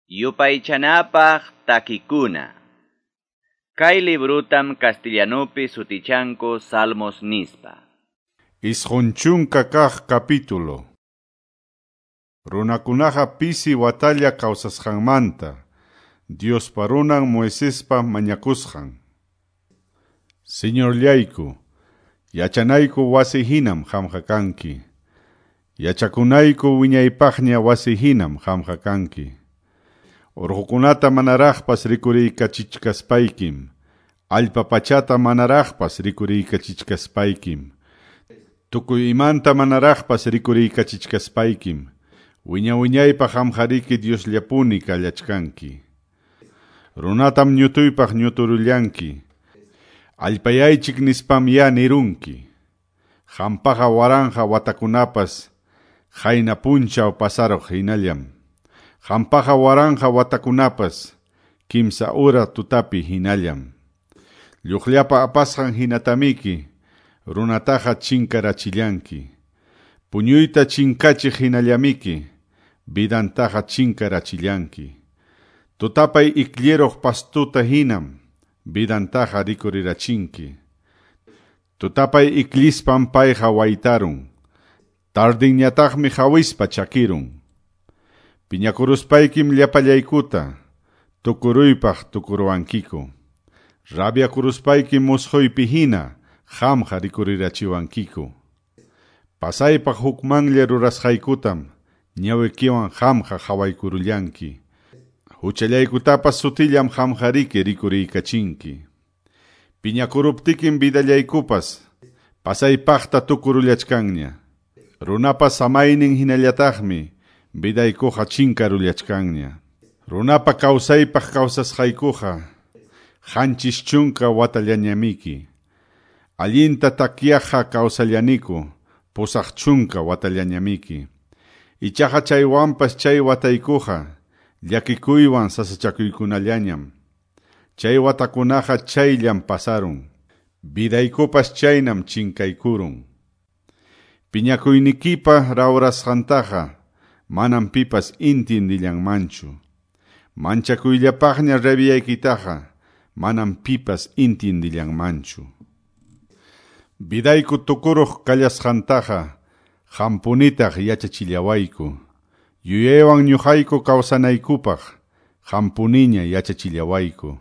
Yupaychanapaq takikuna. Kay librutam castellanupi sutichanku Salmos nispa. 90 kaq capítulo. Runakunaqa pisi watalla kawsasqanmanta, Diospa runan Moisespa mañakusqan. Señorllayku, yachanayku wasi hinam qamqa kanki. Yachakunayku wiñaypaqña wasi hinam qamqa kanki. Urqukunata manaraqpas rikuriykachichkaspaykim, allpa pachata manaraqpas rikuriykachichkaspaykim, tukuy imanta manaraqpas rikuriykachichkaspaykim, wiña wiñaypaq qamqariki Diosllapuni kallachkanki. Runatam ñutuypaq ñuturullanki, allpayaychik nispam ya nirunki. Qampaqa waranqa watakunapas qayna punchaw pasaruq hinallam. Qampaqa waranqa watakunapas kimsa hora tutapi hinallam. Lluqllapa apasqan hinatamiki runataqa chinkarachillanki. Puñuyta chinkachiq hinallamiki vidantaqa chinkarachillanki. Tutapay iklliruq pastuta hinam vidantaqa rikurirachinki. Tutapay ikllispam payqa waytarun. Tardinñataqmi hawispa chakirun. Piñakuruspaykim llapallaykuta tukuruypaq tukuruwankiku. Rabiakuruspaykim musquypi hina qamqa rikurirachiwankiku. Pasaypaq hukmanlla rurasqaykutam ñawikiwan qamqa qhawaykurullanki. Huchallaykutapas sutillam qamqariki rikuriykachinki. Piñakuruptikim vidallaykupas pasaypaqta tukurullachkanña. Runapa samaynin hinallataqmi vidaykuqa chinkarullachkanña. Runapa kawsaypaq kawsasqaykuqa 70 watallañamiki. Allinta takyaqqa kawsallaniku 80 watallañamiki. Ichaqa chaywanpas chay wataykuqa llakikuywan sasachakuykunallañam. Chay watakunaqa chayllam pasarun. Vidaykupas chaynam chinkaykurun. Piñakuynikipa rawrasqantaqa manam pipas intindillanmanchu. Manchakuyllapaqña rabiyaykitaqa manam pipas intindillanmanchu. Vidayku tukuruq kallasqantaqa qampunitaq yachachillawayku. Yuyaywan ñuqayku kawsanaykupaq qampuniña yachachillawayku.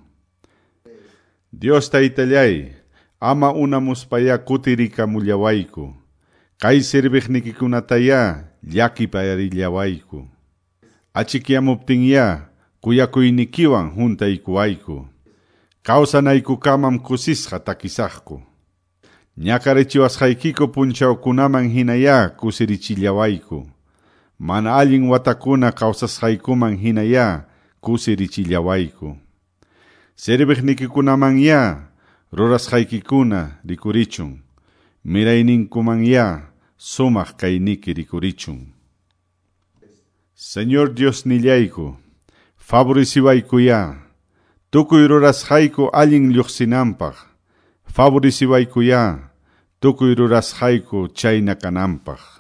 Dios taytallay, ama unamuspaya kutirikamullawayku. Kay serviqnikikunataya llakipayarillawayku. Achikyamuptinya kuyakuynikiwan huntaykuwayku. Kawsanaykukamam kusisqa takisaqku. Ñakarichiwasqaykiku punchawkunaman hinaya kusirichillawayku. Mana allin watakuna kawsasqaykuman hinaya kusirichillawayku. Serviqnikikunamanya rurasqaykikuna rikurichun. Mirayninkumanya sumaq kayniki rikurichun. Señor Dios nillayku, favoreciwaykuya, tukuy rurasqayku allin lluqsinanpaq, favoreciwaykuya, tukuy rurasqayku chayna kananpaq.